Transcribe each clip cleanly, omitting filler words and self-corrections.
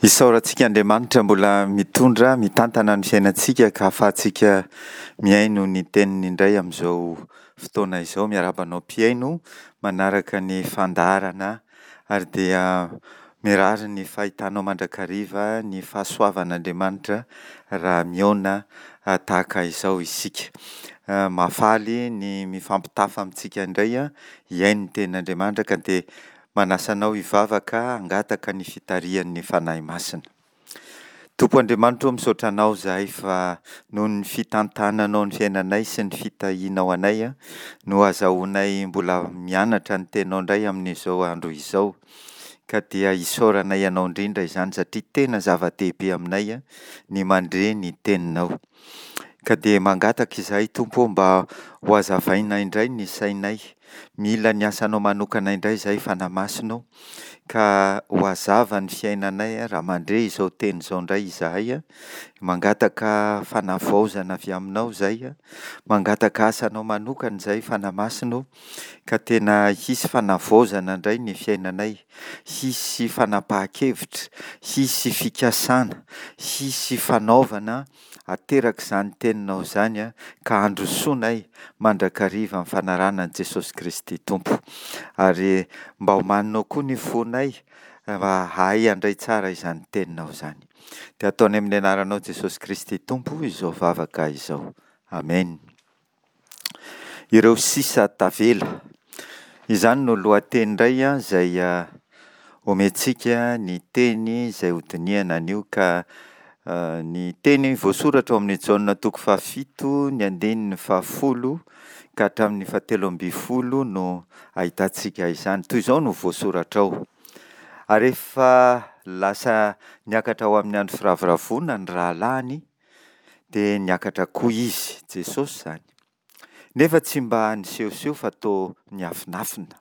Isaorantsika Andriamanitra mbola mitondra, mitantana ny fiainantsika ka ahafahantsika mihaino ny teniny indray amin'izao fotoana izao. Miarahaba anao mpihaino manaraka ny fandaharana ary dia mirary ny fahitanao mandrakariva ny fahasoavan'Andriamanitra raha mihaona tahaka izao isika. Mahafaly ny mifampitafa amintsika indray hihaino ny tenin'Andriamanitra ka dia Manasa anao hivavaka hangataka ny fitarihan'ny Fanahy Masina. Tompo Andriamanitra ô misaotra Anao izahay fa noho ny fitantananao ny fiainanay sy ny fitahianao anay no azahoanay mbola mianatra ny Teninao indray amin'izao andro izao ka dia isaoranay Anao indrindra izany satria tena zava-dehibe aminay ny mandre ny Teninao. Ka dia mangataka izahay Tompo ô mba ho hazavaina indray ny sainay, mila ny asanao manokana indray izahay Fanahy Masina ô, ka ho hazava ny fiainanay raha mandre izao teny izao indray izahay, mangataka fanavaozana avy aminao izahay, mangataka asanao manokana izahay Fanahy Masina ô, ka tena hisy fanavaozana indray ny fiainanay, hisy fanapahan-kevitra, hisy fikasana, hisy fanaovana Ateraka izany teninao izany ka handrosoanay mandrakariva amin'ny fanarahana an'i Jesosy Kristy Tompo. Ary mba omaninao koa ny fonay mba hahay handray tsara izany teninao izany. Dia ataonay amin'ny anaranao Jesosy Kristy Tompo izao vavaka izao. Amen. Ireo sisa tavela. Izany no lohateny indray izay omentsika ny teny izay hodinihana anio ka ny teny voasoratra ao amin'ny Jaona toko fahafito ny andininy fahafolo ka hatramin'ny fahatelo ambin'ny folo no ahitantsika izany. Toy izao no voasoratra ao. Ary rehefa lasa niakatra ho amin'ny andro firavoravoana ny rahalahiny dia niakatra koa izy, Jesosy izany. Nefa tsy mba nisehoseho fa toa niafinafina.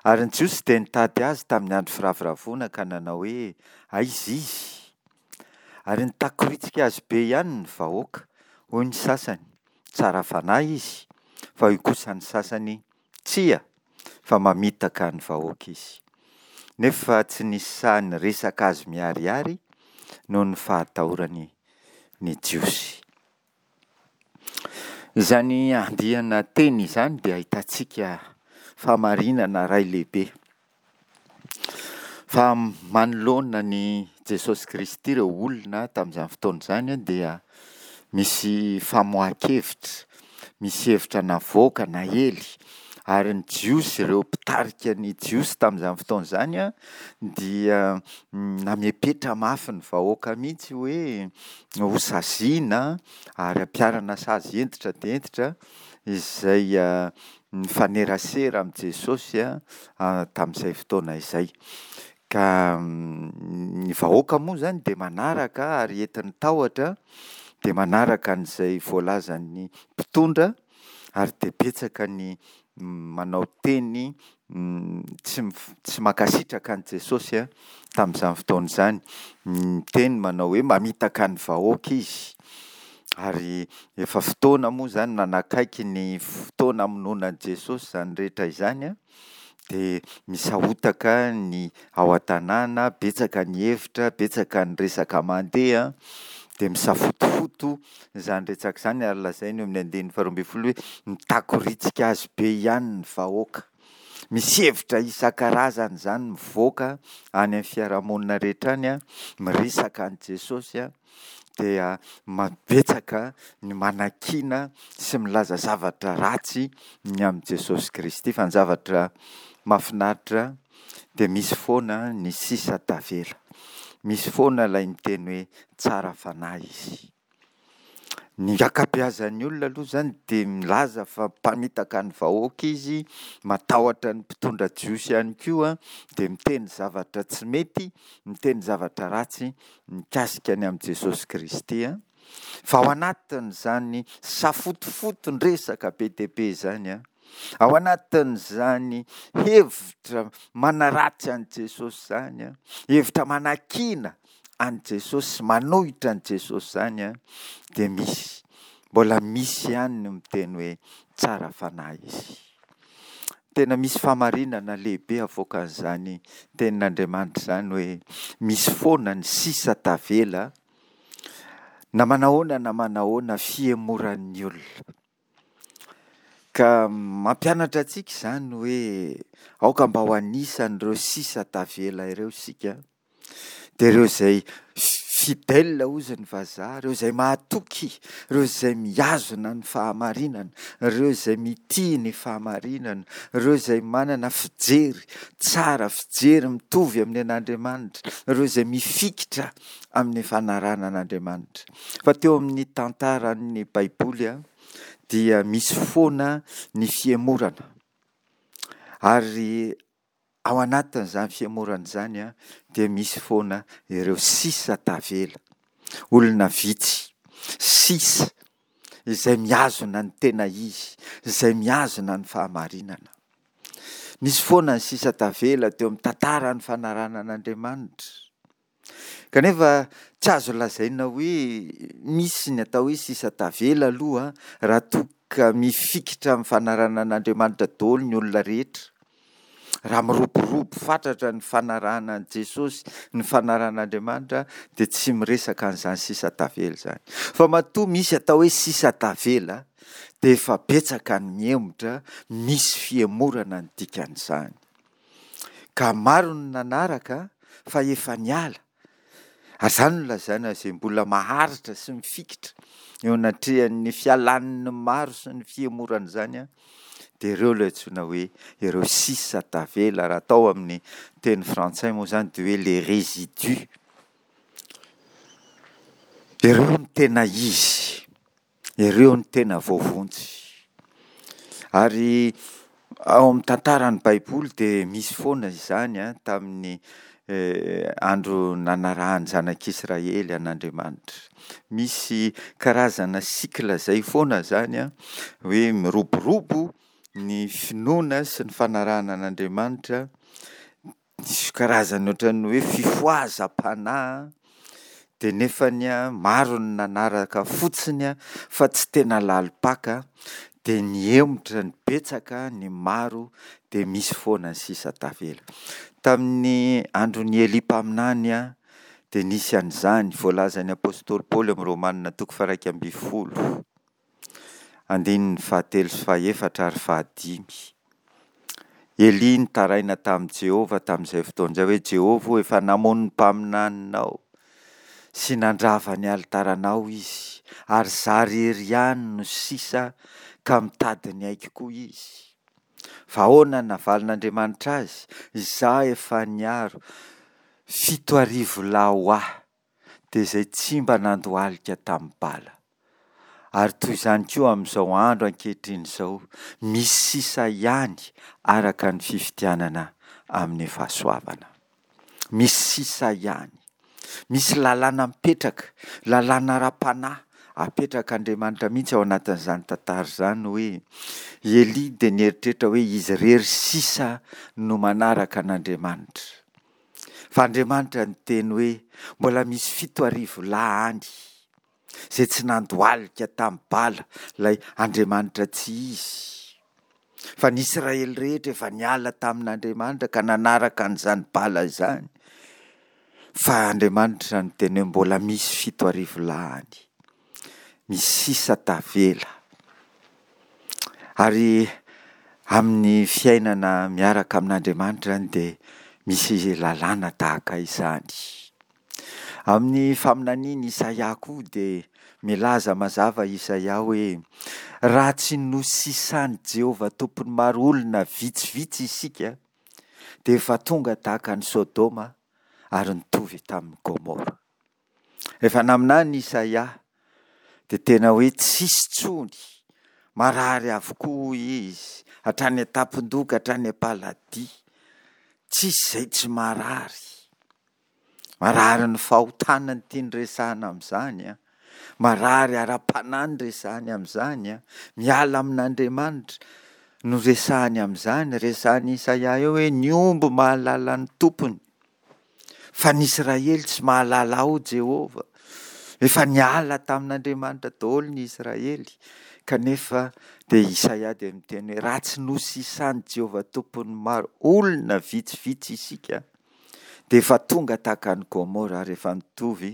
Ary ny Jiosy dia nitady azy tamin'ny andro firavoravoana ka nanao hoe, Aiza izy? Ary nitakoritsika azy be ihany ny vahoaka. Hoy ny sasany, Tsara fanahy izy. Fa hoy kosa ny sasany, Tsia, fa mamitaka ny vahoaka izy. Nefa tsy nisy sahy niresaka azy miharihary noho ny fahatahorany ny Jiosy. Izany andiana teny izany dia ahitantsika fahamarinana iray lehibe. Fa manoloana an'i Jesosy Kristy ireo olona tamin'izany fotoana izany dia misy famoahan-kevitra, misy hevitra navoaka, naely, ary ny Jiosy, ireo mpitarika ny Jiosy tamin'izany fotoana izany dia namepetra mafy ny vahoaka mihitsy hoe hosaziana ary ampiharana sazy hentitra dia hentitra izay nifanerasera amin'i Jesosy tamin'izay fotoana izay. Ka ny vahoaka moa izany dia manaraka ary entin'ny tahotra dia manaraka an'izay voalazan'ny mpitondra ary dia betsaka ny manao teny tsy tsy mankasitraka an'i Jesosy tamin'izany fotoana izany. Miteny manao hoe mamitaka ny vahoaka izy. Ary efa fotoana moa izany nanakaiky ny fotoana hamonoana an'i Jesosy izany rehetra izany dia misahotaka ny ao an-tanàna, betsaka ny hevitra, betsaka ny resaka mandeha, dia misafotofoto izany resaka izany ary lazainy eo amin'ny andininy faharoa ambin'ny folo hoe mitakoritsika azy be ihany ny vahoaka. Misy hevitra isan-karazany izany mivoaka any amin'ny fiarahamonina rehetra any, miresaka an'i Jesosy dia betsaka ny manakiana sy milaza zavatra ratsy ny amin'i Jesosy Kristy. Fa ny zavatra mahafinaritra dia misy foana ny sisa tavela. Misy foana ilay miteny hoe tsara fanahy izy. Ny ankabeazan'ny olona aloha izany dia milaza fa mpamitaka ny vahoaka izy, matahotra ny mpitondra jiosy ihany koa, dia miteny zavatra tsy mety, miteny zavatra ratsy mikasika ny amin'i Jesosy Kristy. Fa ao anatin'izany safotofoton-dresaka be dia be izany, ao anatin'izany hevitra manaratsy an'i Jesosy izany, hevitra manakiana an'i Jesosy sy manohitra an'i Jesosy izany dia misy, mbola misy ihany ny miteny hoe tsara fanahy izy. Tena misy fahamarinana lehibe avoakan'izany tenin'Andriamanitra izany hoe misy foana ny sisa tavela na manahoana na manahoana fihemoran'ny olona. Ka mampianatra antsika izany hoe aoka mba ho anisan'ireo sisa tavela ireo isika, dia ireo izay fidèle hozy ny vazaha, ireo izay mahatoky, ireo izay mihazona ny fahamarinana, ireo izay mitia ny fahamarinana, ireo izay manana fijery tsara, fijery mitovy amin'ny an'Andriamanitra, ireo izay mifikitra amin'ny fanarahana an'Andriamanitra. Fa teo amin'ny tantaran'ny Baiboly dia misy foana ny fihemorana. Ary ao anatin'izany fihemorana izany dia misy foana ireo sisa tavela. Olona vitsy, sisa, izay mihazona ny tena izy, izay mihazona ny fahamarinana. Nisy foana ny sisa tavela teo amin'ny tantaran'ny fanarahana an'Andriamanitra. Kanefa tsy azo lazaina hoe misy ny atao hoe sisa tavela aloha raha toa ka mifikitra amin'ny fanarahana an'Andriamanitra daholo ny olona rehetra. Raha miroborobo fatratra ny fanarahana an'i Jesosy, ny fanarahana an'Andriamanitra dia tsy miresaka an'izany sisa tavela izany. Fa matoa misy atao hoe sisa tavela dia efa betsaka ny mihemotra, misy fihemorana ny dikan'izany. Ka maro ny nanaraka fa efa niala. Ary izany no lazaina izay mbola maharitra sy mifikitra eo anatrehan'ny fialan'ny maro sy ny fihemoran'izany dia ireo ilay antsoina hoe ireo sisa tavela raha atao amin'ny teny frantsay moa izany dia hoe les résidus. Ireo no tena izy. Ireo no tena voavonjy. Ary ao amin'ny tantaran'ny Baiboly dia misy foana izany tamin'ny andro nanarahan'ny zanak'Israely an'Andriamanitra. Misy karazana cycle izay foana izany hoe miroborobo ny finoana sy ny fanarahana an'Andriamanitra. Diso karazany ohatran'ny hoe fifohazam-panahy dia nefany maro ny nanaraka fotsiny fa tsy tena lalim-paka dia nihemotra ny betsaka ny maro dia misy foana ny sisa tavela. Tamin'ny andron'i Elia mpaminany dia nisy an'izany voalazan'ny apostoly Paoly amin'ny Romanina toko faha 11. Andininy fahatelo sy fahefatra ary fahadimy. Elia nitaraina tamin'i Jehovah tamin'izay fotoana izay hoe, Jehovah ô, efa namono ny mpaminaninao sy nandrava ny alitaranao izy, ary izaho irery ihany no sisa ka mitady ny aiko koa izy. Fa ahoana no navalin'Andriamanitra azy? Izaho efa niaro 7000 lahy ho ahy. dia izay tsy mba nandohalika tamin'ny bala. Ary toy izany koa amin'izao andro ankehitriny izao, misy sisa ihany araka ny fifidianana amin'ny fahasoavana. Misy sisa ihany. Misy lalàna mipetraka, lalàna ara-panahy apetrak'Andriamanitra mihitsy ao anatin'izany tantara izany hoe i Elia dia nieritreritra hoe izy irery sisa no manaraka an'Andriamanitra. Fa Andriamanitra niteny hoe, Mbola misy 7000 lahy any, izay tsy nandohalika tamin'i Bala, ilay Andriamanitra tsy izy. Fa ny Israely rehetra efa niala tamin'Andriamanitra ka nanaraka an'izany Bala izany. Fa Andriamanitra niteny hoe, Mbola misy 7000 lahy any. Misy sisa tavela. Ary amin'ny fiainana miaraka amin'Andriamanitra izany dia misy lalàna tahaka izany. Amin'ny faminanian'i Isaia koa dia milaza mazava Isaia hoe raha tsy nosisan'i Jehovah Tompon'ny maro olona vitsivitsy isika dia efa tonga tahaka an'i Sodoma ary nitovy tamin'i Gomora. Rehefa naminany Isaia dia tena hoe tsisy tsony, marary avokoa hoy izy, hatrany an-tampon-doha ka hatrany am-paladia, tsisy izay tsy marary. Marary ny fahotana no tiany resahana amin'izany an, marary ara-panahy no resahany amin'izany an, miala amin'Andriamanitra no resahany amin'izany, resahan'i Isaia eo hoe ny omby mahalala ny tompony. Fa ny Israely tsy mahalala ao Jehovah. Efa niala tamin'Andriamanitra daholo ny Israely. Kanefa dia Isaia dia miteny hoe raha tsy nosisan'i Jehovah Tompon'ny maro olona vitsivitsy isika dia efa tonga tahaka an'i Gomora ary efa nitovy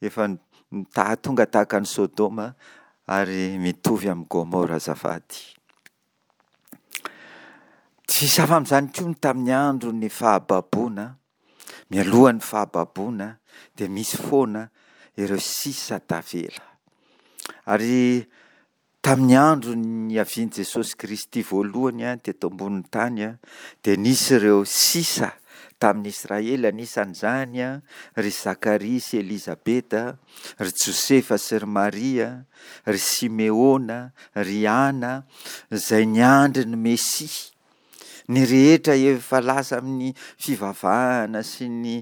efa tonga tahaka an'i Sodoma ary mitovy amin'i Gomora azafady. Tsy hisy hafa amin'izany koa ny tamin'ny andron'ny fahababoana, mialohan'ny fahababoana dia misy foana ireo sisa tavela. Ary tamin'ny andro niavian'i Jesosy Kristy voalohany teto ambonin'ny tany dia nisy ireo sisa tamin'ny Israely, anisan'izany ry Zakaria sy Elizabeta, ry Josefa sy ry Maria, ry Simeona, ry Ana, izay niandry ny Mesia. Ny rehetra efa lasa amin'ny fivavahana sy ny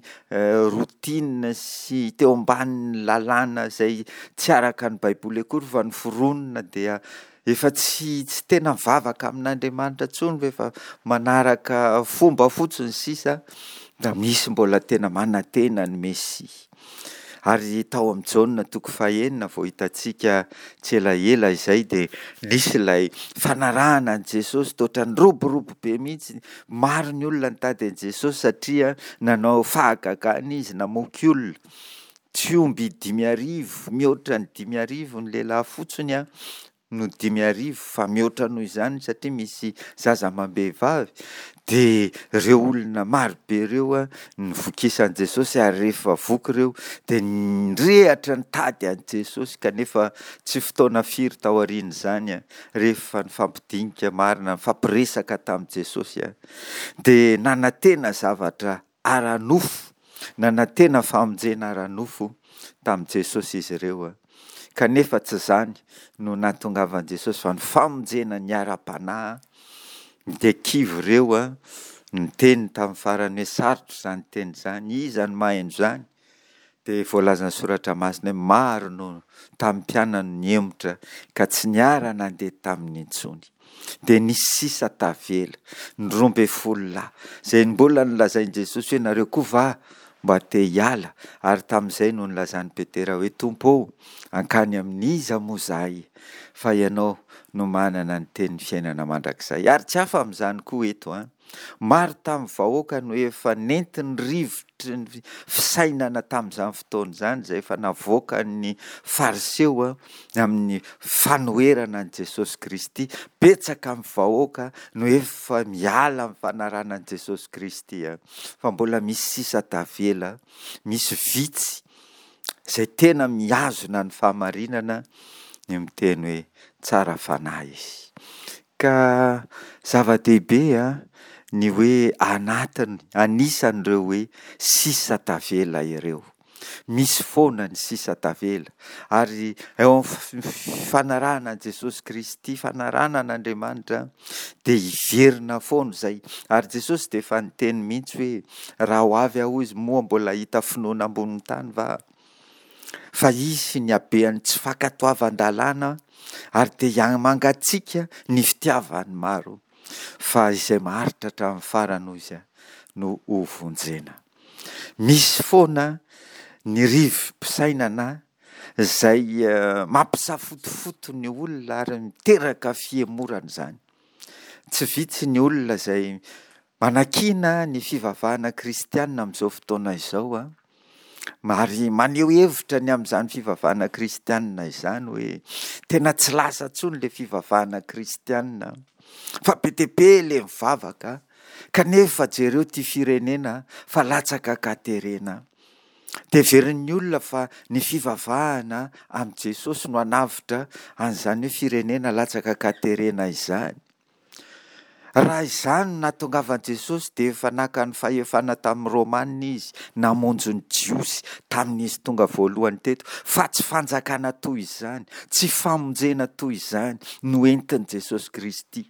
routine sy teo ambanin'ny lalàna izay tsy araka ny Baiboly akory fa noforonina dia efa tsy tsy tena mivavaka amin'Andriamanitra intsony fa efa manaraka fomba fotsiny sisa, da misy mbola tena manantena ny Mesia. Ary tao amin'i Jaona toko fahenina vao hitantsika tsy elaela izay dia nisy ilay fanarahana an'i Jesosy toa ohatran'ny niroborobo be mihitsy. Maro ny olona nitady an'i Jesosy satria nanao fahagagana izy, namoky olona. Tsy omby 5000, mihoatra ny 5000 ny lehilahy fotsiny no 5000 fa mihoatra noho izany satria misy zaza amam-behivavy dia ireo olona marobe ireo novokisan'i Jesosy ary rehefa voky ireo dia nirehatra nitady an'i Jesosy kanefa tsy fotoana firy taorian'izany rehefa nifampidinika marina nifampiresaka tamin'i Jesosy dia nanantena zavatra ara-nofo, nanantena famonjena ara-nofo tamin'i Jesosy izy ireo. Kanefa tsy izany no nahatongavan'i Jesosy fa ny famonjena ny ara-panahy. Dia kivy ireo niteny tamin'ny farany hoe sarotra izany teny izany, iza no maheno izany? Dia voalazan'ny Soratra Masina hoe maro no tamin'ny mpianany nihemotra ka tsy niara-nandeha taminy intsony. Dia nisy sisa tavela, ny 12 lahy, izay mbola nolazain'i Jesosy hoe nareo koa va mba te hiala? Ary tamin'izay no nilazan'i Petera hoe Tompo ô, hankany amin'iza moa izahay? Fa Ianao no manana ny tenin'ny fiainana mandrakizay. Ary tsy hafa amin'izany koa eto an! Maro tamin'ny vahoaka no efa nentin'ny rivotry ny fisainana tamin'izany fotoana izany, izay efa navoakan'ny Fariseo amin'ny fanoherana an'i Jesosy Kristy. Betsaka amin'ny vahoaka no efa miala amin'ny fanarahana an'i Jesosy Kristy, fa mbola misy sisa tavela, misy vitsy izay tena mihazona ny fahamarinana ny miteny hoe tsara fanahy izy. Ka zava-dehibe ny hoe anatiny, anisan'ireo hoe sisa tavela ireo. Misy foana ny sisa tavela. Ary eo amin'ny fanarahana an'i Jesosy Kristy, fanarahana an'Andriamanitra, dia hiverina foana izay. Ary Jesosy dia efa niteny mihitsy hoe, raha ho avy aho hoy izy, moa mbola hahita finoana ambonin'ny tany va aho? Fa hisy ny habean'ny tsy fankatoavan-dalàna ary dia hihamangatsiaka ny fitiavan'ny maro, fa izay maharitra hatramin'ny farany, hoy izy, no hovonjena. Misy foana ny rivo-pisainana izay mampisafotofoto ny olona ary miteraka fihemorana izany. Tsy vitsy ny olona izay manakiana ny fivavahana kristiana amin'izao fotoana izao, Ary maneho hevitra ny amin'izany fivavahana kristianina izany hoe tena tsy lasa intsony ilay fivavahana kristianina fa be dia be ilay mivavaka kanefa jereo ity firenena fa latsaka an-katerena. Dia heverin'ny olona fa ny fivavahana amin'i Jesosy no hanavotra an'izany hoe firenena latsaka an-katerena izany. Raha izany no nahatongavan'i Jesosy dia efa naka ny fahefana tamin'ny Romana izy namonjy ny Jiosy tamin'izy tonga voalohany teto, fa tsy fanjakana toy izany, tsy famonjena toy izany no entin'i Jesosy Kristy.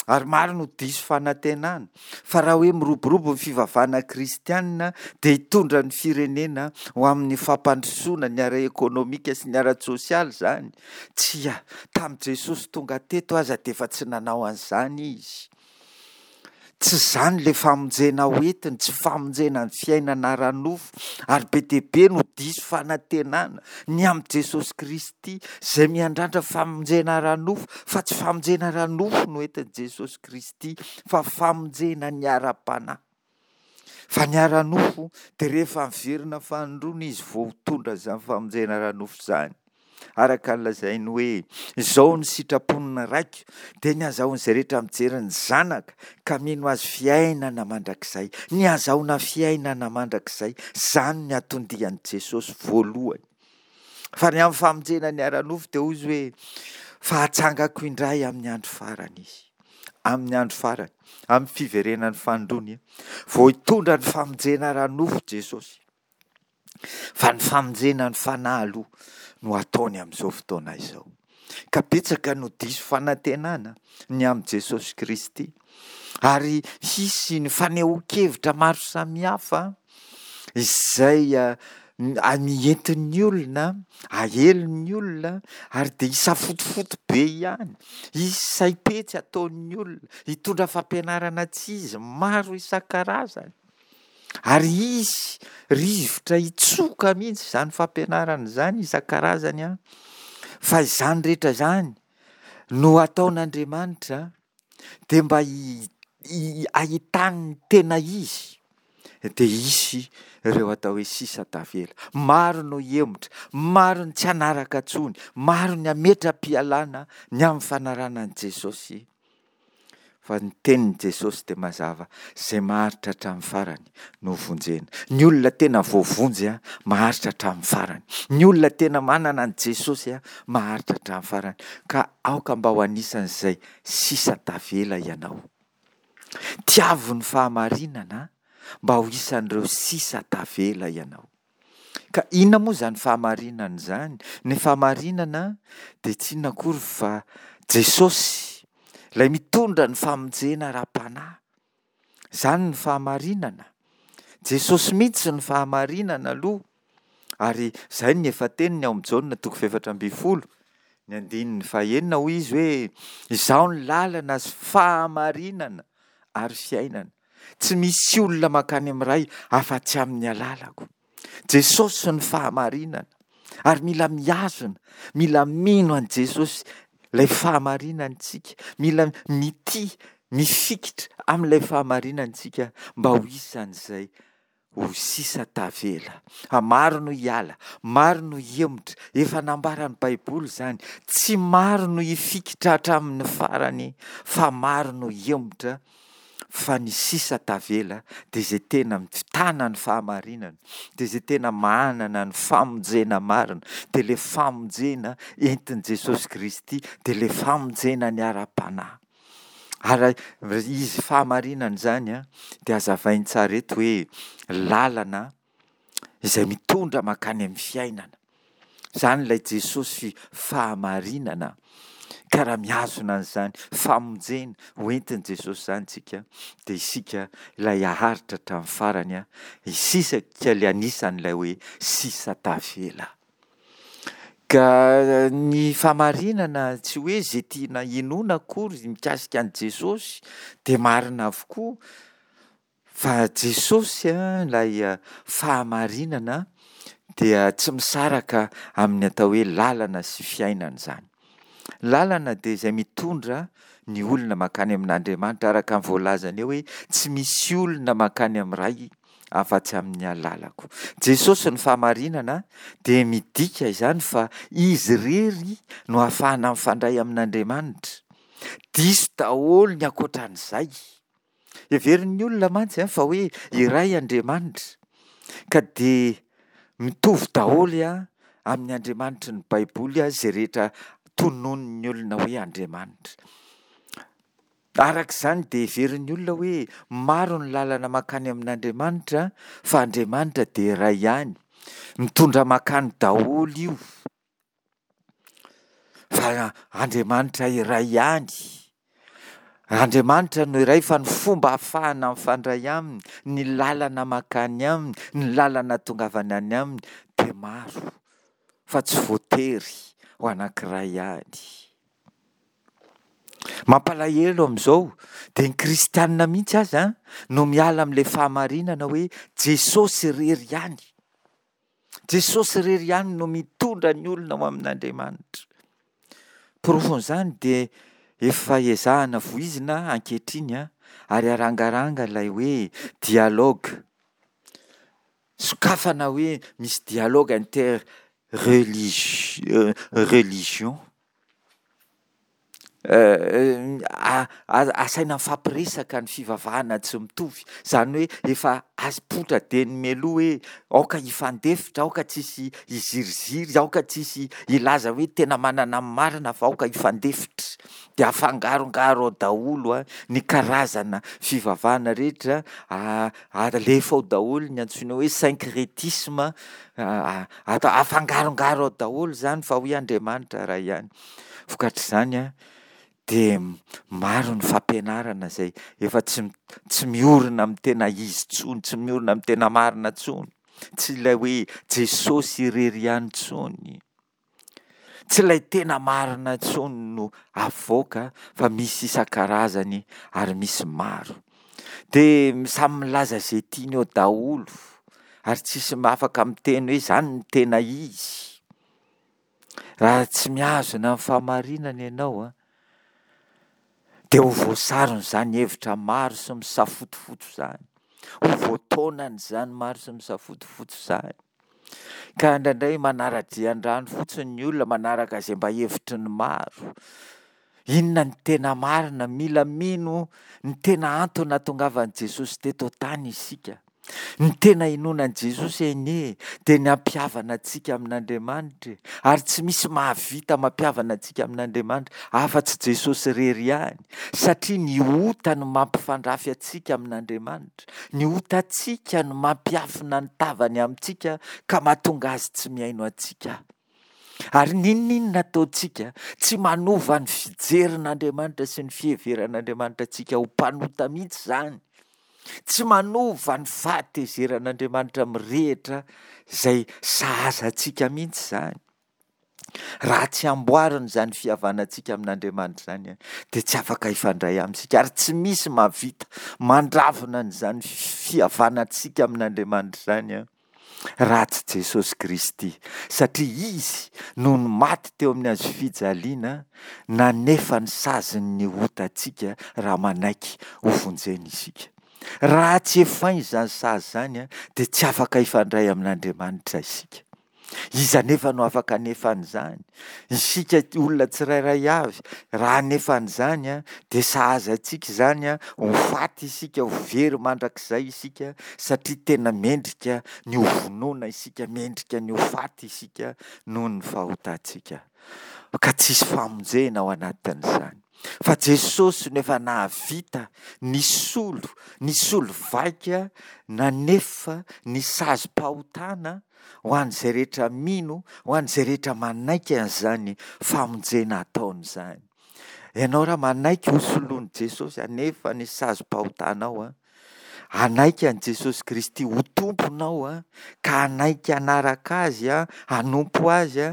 Ary maro no diso fanantenana fa raha hoe miroborobo ny fivavahana kristianina dia hitondra ny firenena ho amin'ny fampandrosoana ny ara-ekonomika sy ny ara-tsosialy izany. Tsia, tamin'i Jesosy tonga teto aza dia efa tsy nanao an'izany izy. Tsy izany ilay famonjena ho entiny, tsy famonjena ny fiainana ara-nofo, ary be dia be no diso fanantenana ny amin'i Jesosy Kristy izay miandrandra famonjena ara-nofo, fa tsy famonjena ara-nofo no entin'i Jesosy Kristy fa famonjena ny ara-panahy. Fa ny ara-nofo dia rehefa miverina fanindroany izy vao hitondra izany famonjena ara-nofo izany. Araka ny lazainy hoe, Izao no sitrapon'ny Raiko, dia ny hazahoan'izay rehetra mijery ny Zanaka ka mino Azy fiainana mandrakizay. Ny hazahoana fiainana mandrakizay, izany ny anton-dian'i Jesosy voalohany. Fa ny amin'ny famonjena ny ara-nofo dia hoy Izy hoe, Fa hatsangako indray amin'ny andro farany izy. Amin'ny andro farany, amin'ny fiverenan'ny fanindroany, vao hitondra ny famonjena ara-nofo Jesosy. Fa ny famonjena ny fanahy aloha no ataony amin'izao fotoana izao. Ka betsaka no diso fanantenana ny amin'i Jesosy Kristy. Ary hisy ny fanehoan-kevitra maro samihafa izay entin'ny olona, aelin'ny olona ary dia hisafotofoto be ihany. Hisy saim-petsy ataon'ny olona, hitondra fampianarana tsy izy maro isan-karazany. Ary hisy rivotra hitsoka mihitsy izany fampianarana izany isan-karazany an, fa izany rehetra izany no ataon'Andriamanitra dia mba ahitany ny tena izy dia hisy ireo atao hoe sisa tavela. Maro no hihemotra, maro ny tsy hanaraka intsony, maro ny hametra-pialana ny amin'ny fanarahana an'i Jesosy. Fa ny tenin'i Jesosy dia mazava, izay maharitra hatramin'ny farany no vonjena. Ny olona tena voavonjy maharitra hatramin'ny farany. Ny olona tena manana an'i Jesosy maharitra hatramin'ny farany. Ka aoka mba ho anisan'izay sisa tavela ianao. Tiavo ny fahamarinana mba ho isan'ireo sisa tavela ianao. Ka inona moa izany fahamarinana izany? Ny fahamarinana dia tsy inona akory fa Jesosy, ilay mitondra ny famonjena ara-panahy. Izany ny fahamarinana. Jesosy mihitsy ny fahamarinana aloha. Ary izay ny efa teniny ao amin'ny Jaona toko fahefatra ambin'ny folo, ny andininy fahenina hoy izy hoe, Izaho ny lalana sy fahamarinana ary fiainana. Tsy misy olona mankany amin'ny Ray afa-tsy amin'ny alalako. Jesosy no fahamarinana. Ary mila mihazona, mila mino an'i Jesosy ilay fahamarinana isika. Mila mitia, mifikitra amin'ilay fahamarinana isika mba ho isan'izay ho sisa tavela. Fa maro no hiala, maro no hihemotra. Efa nambaran'ny Baiboly izany. Tsy maro no hifikitra hatramin'ny farany fa maro no hihemotra. Fa ny sisa tavela dia izay tena mitana ny fahamarinana, dia izay tena manana ny famonjena marina, dia ilay famonjena entin'i Jesosy Kristy, dia ilay famonjena ny ara-panahy. Ary izy fahamarinana izany dia hazavainy tsara eto hoe lalana izay mitondra mankany amin'ny fiainana. Izany ilay Jesosy fahamarinana. Ka raha mihazona an'izany famonjena ho entin'i Jesosy izany isika, dia isika ilay haharitra hatramin'ny farany, isika ilay anisan'ilay hoe sisa tavela. Ka ny fahamarinana tsy hoe izay tiana hinoana akory mikasika an'i Jesosy dia marina avokoa Fa Jesosy ilay fahamarinana dia tsy misaraka amin'ny atao hoe lalana sy fiainana izany. Lalana dia izay mitondra ny olona mankany amin'Andriamanitra araka ny voalazany eo hoe tsy misy olona mankany amin'ny Ray afa-tsy amin'ny alalako. Jesosy ny fahamarinana dia midika izany fa Izy irery no ahafahana mifandray amin'Andriamanitra. Diso daholo ny ankoatran'izay. Heverin'ny olona mantsy fa hoe iray Andriamanitra ka dia mitovy daholo amin'ny Andriamanitry ny Baiboly izay rehetra tononin'ny olona hoe Andriamanitra. Araka izany dia heverin'ny olona hoe maro ny lalana mankany amin'Andriamanitra fa Andriamanitra dia iray ihany. Mitondra mankany daholo io. Fa Andriamanitra iray ihany. Andriamanitra no iray fa ny fomba ahafahana mifandray aminy, ny lalana mankany aminy, ny lalana atongavana any aminy dia maro fa tsy voatery ho anankiray ihany. Mampalahelo amin'izao dia ny kristianina mihitsy aza no miala amin'ilay fahamarinana hoe Jesosy irery ihany. Jesosy irery ihany no mitondra ny olona ho amin'Andriamanitra. Porofon'izany dia efa ezahana voizina ankehitriny ary arangaranga ilay hoe dialogue. Sokafana hoe misy dialogue inter religion. Asaina mifampiresaka ny fivavahana tsy mitovy. Izany hoe efa apoitra dieny mialoha hoe aoka hifandefitra, aoka tsisy hiziriziry, aoka tsisy hilaza hoe tena manana ny marina fa aoka hifandefitra. Dia afangarongaro ao daholo ny karazana fivavahana rehetra, alefa ao daholo ny antsoina hoe syncretisme, afangarongaro ao daholo izany fa hoy Andriamanitra iray ihany. Vokatr'izany dia maro ny fampianarana izay efa tsy tsy miorina amin'ny tena izy intsony, tsy miorina amin'ny tena marina intsony, tsy ilay hoe Jesosy irery ihany intsony, tsy ilay tena marina intsony no avoaka fa misy isan-karazany ary misy maro. Dia samy milaza izay tiany eo daholo ary tsisy afaka miteny hoe izany no tena izy. Raha tsy mihazona ny fahamarinana ianao an, dia ho voasaron'izany hevitra maro sy misafotofoto izany. Ho voataonan'izany maro sy misafotofoto izany. Ka indraindray manara-dia an-drano fotsiny ny olona, manaraka izay mba hevitry ny maro. Inona ny tena marina? Mila mino ny tena antony nahatongavan'i Jesosy teto an-tany isika. Ny tena inoana an'i Jesosy anie dia ny hampihavana antsika amin'Andriamanitra e! Ary tsy misy mahavita mampihavana antsika amin'Andriamanitra afa-tsy Jesosy irery ihany, satria ny ota no mampifandrafy antsika amin'Andriamanitra, ny otantsika no mampiafina ny tavany amintsika ka mahatonga Azy tsy mihaino antsika. Ary n'inon'inona ataontsika, tsy manova ny fijerin'Andriamanitra sy ny fiheveran'Andriamanitra antsika ho mpanota mihitsy izany. Tsy manova ny fahatezeran'Andriamanitra mirehitra izay sahaza antsika mihitsy izany. Raha tsy amboarina izany fihavanantsika amin'Andriamanitra izany, dia tsy afaka hifandray aminy isika, ary tsy misy mahavita mandravona an'izany fihavanantsika amin'Andriamanitra izany. raha tsy Jesosy Kristy, satria Izy no maty teo amin'ny hazofijaliana nanefa ny sazin'ny otantsika raha manaiky ho vonjena isika. Raha tsy efainy izany sazy izany dia tsy afaka hifandray amin'Andriamanitra isika. Iza anefa no afaka hanefa an'izany? Isika olona tsirairay avy, raha hanefa an'izany dia sahaza antsika izany, ho faty isika, ho very mandrakizay isika, satria tena mendrika ny ho vonoina isika, mendrika ny ho faty isika noho ny fahotantsika. Ka tsisy famonjena ao anatin'izany. Fa Jesosy no efa nahavita nisolo, nisolo vaika, nanefa ny sazim-pahotana ho an'izay rehetra mino, ho an'izay rehetra manaiky an'izany famonjena ataony izany. Ianao raha manaiky ho soloan'i Jesosy hanefa ny sazim-pahotanao, hanaiky an'i Jesosy Kristy ho Tomponao, ka hanaiky hanaraka Azy, hanompo Azy,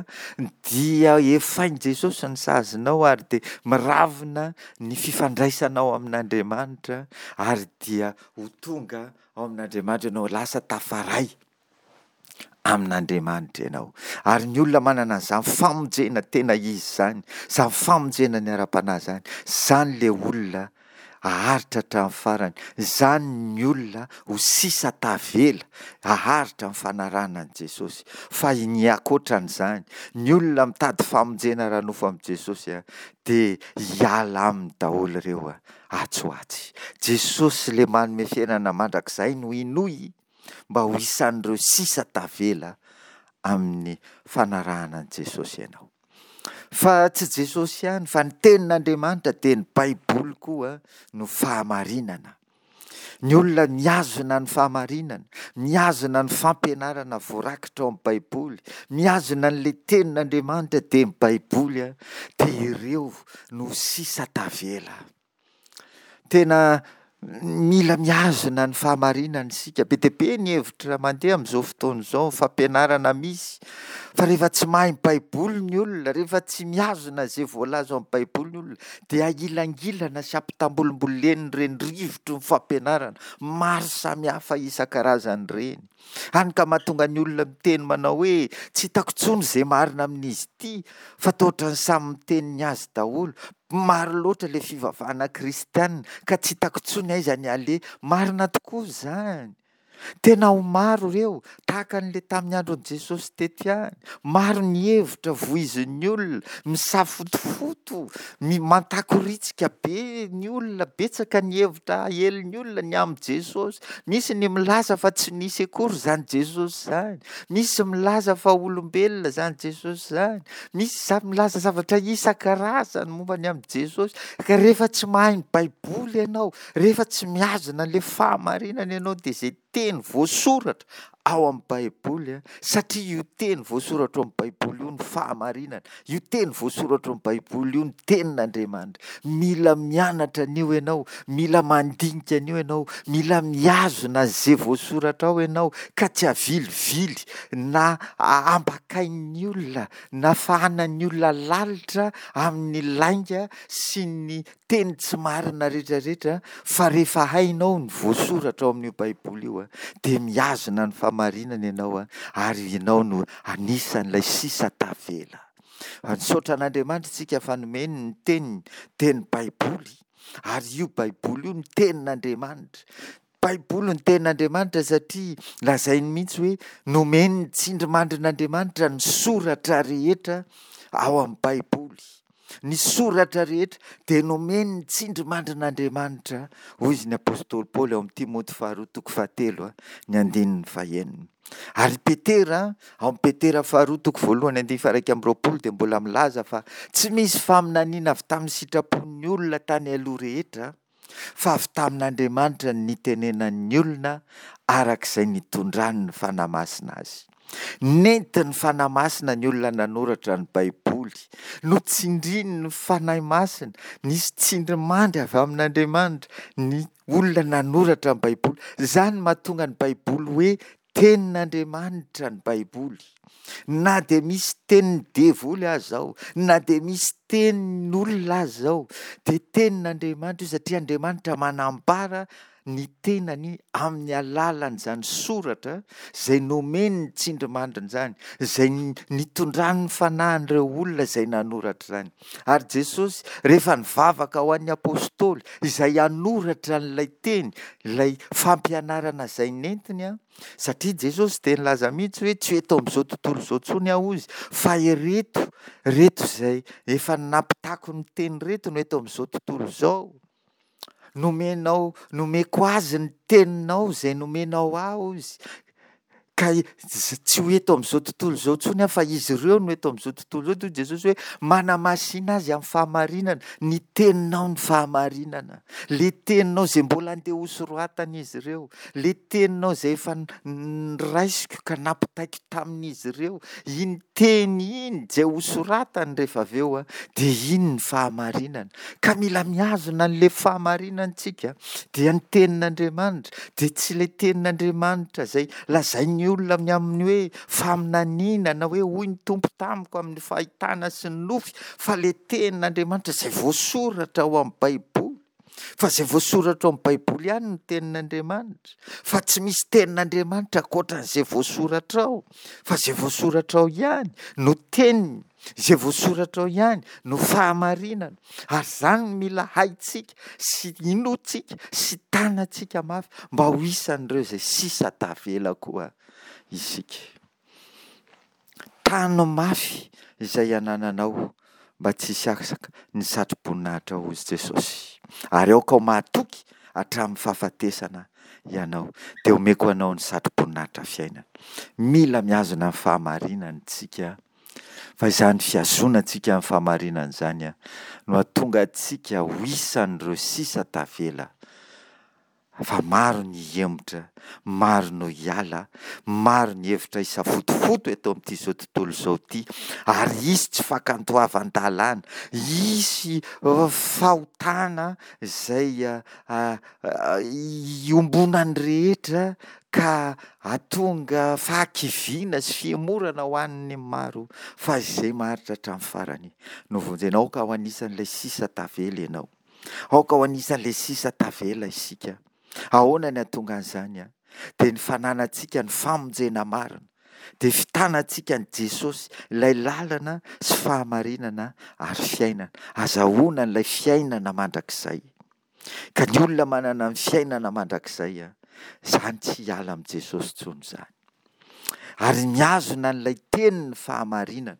dia efain'i Jesosy ny sazinao ary dia miravina ny fifandraisanao amin'Andriamanitra ary dia ho tonga ao amin'Andriamanitra ianao, lasa tafaray. amin'Andriamanitra ianao. Ary ny olona manana an'izany famonjena tena izy izany, izany famonjena ny ara-panahy izany, izany ilay olona haharitra hatramin'ny farany, izany ny olona ho sisa tavela haharitra amin'ny fanarahana an'i Jesosy. Fa ny ankoatran'izany, ny olona mitady famonjena ara-nofo amin'i Jesosy dia hiala aminy daholo ireo atsy ho atsy. Jesosy ilay manome fiainana mandrakizay no inoy. mba ho isan'ireo sisa tavela amin'ny fanarahana an'i Jesosy ianao. Fa tsy Jesosy ihany fa ny tenin'Andriamanitra dia ny Baiboly koa no fahamarinana. Ny olona mihazona ny fahamarinana, mihazona ny fampianarana voarakitra ao amin'ny Baiboly, mihazona an'ilay tenin'Andriamanitra dia ny Baiboly dia ireo no sisa tavela. Tena. Mila mihazona ny fahamarinana isika. Be dia be ny hevitra mandeha amin'izao fotoana izao, ny fampianarana misy, fa rehefa tsy mahay ny Baiboly ny olona, rehefa tsy mihazona izay voalaza ao amin'ny Baiboly ny olona, dia ahilangilana sy ampitambolimbolenin'ireny rivotry ny fampianarana maro samihafa isan-karazany ireny. Hany ka mahatonga ny olona miteny manao hoe, tsy hitako intsony izay marina amin'izy ity, fa toa ohatran'ny samy miteny ny azy daholo. Maro loatra ilay fivavahana kristiana ka tsy hitako intsony aiza ny aleha. Marina tokoa izany. Tena ho maro ireo, tahaka an'ilay tamin'ny andron'i Jesosy teto ihany. Maro ny hevitra voizin'ny olona, misafotofoto, mantakoritsika be ny olona, betsaka ny hevitra aelin'ny olona ny amin'i Jesosy. Misy ny milaza fa tsy nisy akory izany Jesosy izany. Misy milaza fa olombelona izany Jesosy izany. Misy milaza zavatra isan-karazany momba ny amin'i Jesosy. Ka rehefa tsy mahay ny Baiboly ianao, rehefa tsy mihazona an'ilay fahamarinana ianao, dia izay teny voasoratra ao amin'ny Baiboly, satria io teny voasoratra ao amin'ny Baiboly io no fahamarinana, io teny voasoratra ao amin'ny Baiboly io no tenin'Andriamanitra. Mila mianatra an'io ianao, mila mandinika an'io ianao, mila mihazona an'izay voasoratra ao ianao, ka tsy avilivily na ambakain'ny olona na fahanan'ny olona lalitra amin'ny lainga sy ny teny tsy marina rehetrarehetra, fa rehefa hainao ny voasoratra ao amin'io Baiboly io dia mihazona ny fahamarinana ianao ary ianao no anisan'ilay sisa tavela. Misaotra an'Andriamanitra isika fa nomeny ny teniny, dia ny Baiboly, ary io Baiboly io no tenin'Andriamanitra. Baiboly ny tenin'Andriamanitra satria lazainy mihitsy hoe nomen'ny tsindrimandrin'Andriamanitra ny soratra rehetra ao amin'ny Baiboly. Ny soratra rehetra dia nomen'ny tsindrimandrin'Andriamanitra, hoy izy ny apostoly Paoly ao amin'ny Timoty faharoa toko fahatelo ny andininy fahenina. Ary Petera, ao amin'ny Petera faharoa toko voalohany andininy faha 21 dia mbola milaza fa tsy misy faminaniana avy tamin'ny sitrapon'ny olona tany aloha rehetra, fa avy tamin'Andriamanitra ny nitenenan'ny olona araka izay nitondran'ny Fanahy Masina azy. Nentin'ny Fanahy Masina ny olona nanoratra ny Baiboly. Notsindrin'ny Fanahy Masina, nisy tsindrimandry avy amin'Andriamanitra ny olona nanoratra ny Baiboly. Izany no mahatonga ny Baiboly hoe Tenin'Andriamanitra ny Baiboly. Na dia misy tenin'ny devoly aza ao, na dia misy tenin'olona aza ao, dia tenin'Andriamanitra io satria Andriamanitra manambara ny tenany amin'ny alalan'izany soratra izay nomeny ny tsindrimandriny izany, izay nitondran'ny fanahin'ireo olona izay nanoratra izany. Ary Jesosy, rehefa nivavaka ho an'ny apostoly izay hanoratra an'ilay teny, ilay fampianarana izay nentiny, satria Jesosy dia nilaza mihitsy hoe tsy eto amin'izao tontolo izao intsony aho hozy, fa ireto, ireto izay efa nampitako ny teny ireto no eto amin'izao tontolo izao. Nomenao, nomeko azy ny teninao izay nomenao ahy hozy. Ka tsy ho eto amin'izao tontolo izao intsony aho fa izy ireo no eto amin'izao tontolo izao. Hoy Jesosy hoe manamasina azy amin'ny fahamarinana, ny teninao ny fahamarinana. Le teninao izay mbola andeha hosoratan'izy ireo, le teninao izay efa noraisiko ka nampitaiko tamin'izy ireo, iny teny iny izay hosoratany rehefa avy eo dia iny ny fahamarinana. Ka mila mihazona an'ilay fahamarinana isika, dia ny tenin'Andriamanitra, dia tsy ilay tenin'Andriamanitra izay lazain'ny olona ny amin'ny hoe faminaniana na hoe hoy ny Tompo tamiko amin'ny fahitana sy ny nofy, fa ilay tenin'Andriamanitra izay voasoratra ao amin'ny Baiboly. Fa izay voasoratra ao amin'ny Baiboly ihany no tenin'Andriamanitra, fa tsy misy tenin'Andriamanitra ankoatran'izay voasoratra ao, fa izay voasoratra ao ihany no teniny, izay voasoratra ao ihany no fahamarinana, ary izany no mila haintsika sy inoantsika sy tanantsika mafy mba ho isan'ireo izay sisa tavela koa isika. Tano mafy izay anananao mba tsy hisy afaka ny satroboninahitra hozy Jesosy. Ary aoka ho mahatoky hatramin'ny fahafatesana ianao, dia omeko anao ny satroboninahitra fiainana. Mila mihazona ny fahamarinana isika, fa izany fihazonantsika ny fahamarinana izany no hahatonga antsika ho isan'ireo sisa tavela. Fa maro ny hihemotra, maro no hiala, maro ny hevitra hisafotofoto eto amin'ity izao tontolo izao ity, ary hisy tsy fankatoavan-dalàna, hisy fahotana izay iombonan'ny rehetra ka hahatonga fahakiviana sy fihemorana ho an'ny maro, fa izay maharitra hatramin'ny farany no vonjena. Aoka ho anisan'ilay sisa tavela ianao. Aoka ho anisan'ilay sisa tavela isika. Ahoana ny hahatonga an'izany? Dia ny fananantsika ny famonjena marina, dia fitanantsika an'i Jesosy, ilay lalana sy fahamarinana ary fiainana. Azahoana an'ilay fiainana mandrakizay. Ka ny olona manana ny fiainana mandrakizay, izany tsy hiala amin'i Jesosy intsony izany. Ary mihazona an'ilay tenin'ny fahamarinana,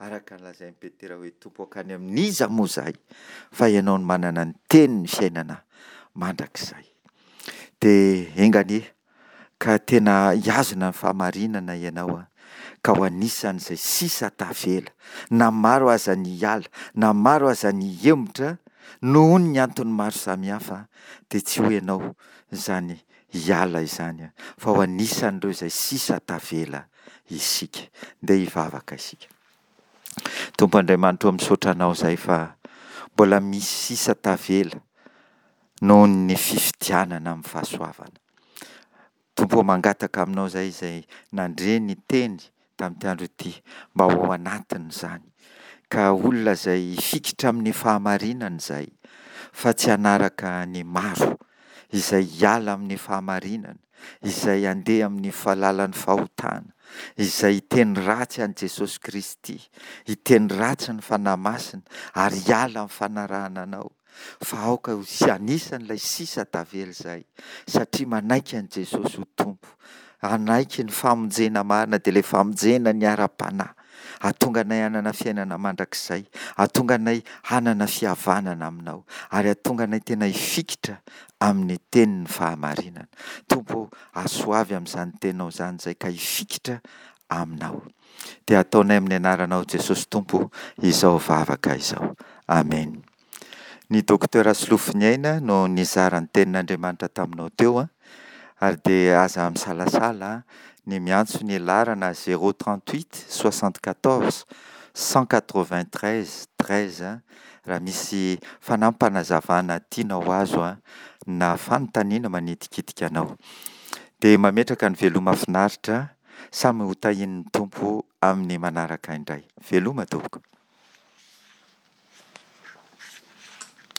araka ny lazain'i Petera hoe, Tompo hankany amin'iza moa izahay, fa Ianao no manana ny tenin'ny fiainana mandrakizay. Dia enga anie ka tena hihazona ny fahamarinana ianao ka ho anisan'izay sisa tavela, na maro aza ny hiala, na maro aza ny hihemotra noho ny antony maro samihafa, dia tsy ho ianao izany hiala izany fa ho anisan'ireo izay sisa tavela isika. Ndeha hivavaka isika. Tompo Andriamanitra ô misaotra Anao izahay fa mbola misy sisa tavela noho ny fifidianana amin'ny fahasoavana. Tompo ô mangataka Aminao izahay izay nandre ny teny tamin'ity andro ity mba ho ao anatin'izany ka olona izay hifikitra amin'ny fahamarinana izahay fa tsy hanaraka ny maro izay hiala amin'ny fahamarinana, izay handeha amin'ny lalan'ny fahotana, izay hiteny ratsy an'i Jesosy Kristy, hiteny ratsy ny Fanahy Masina ary hiala amin'ny fanarahana Anao. Fa aoka ho anisan'ilay sisa tavela izahay satria manaiky an'i Jesosy ho Tompo, hanaiky ny famonjena marina dia ilay famonjena ny ara-panahy, hahatonga anay hanana fiainana mandrakizay, hahatonga anay hanana fihavanana aminao ary hahatonga anay tena hifikitra amin'ny tenin'ny fahamarinana. Tompo ô, asoavy amin'izany teninao izany izahay ka hifikitra aminao. Dia ataonay amin'ny anaranao Jesosy Tompo izao vavaka izao. Amen. Ny Docteur Solofoniaina no nizara ny tenin'Andriamanitra taminao teo ary dia aza misalasala ny miantso ny laharana 038 74 193 13 raha misy fanampinazavana tianao ho azo na fanontaniana manitikitika anao. Dia mametraka ny veloma finaritra, samy ho tahian'ny Tompo amin'ny manaraka indray. Veloma tompoko.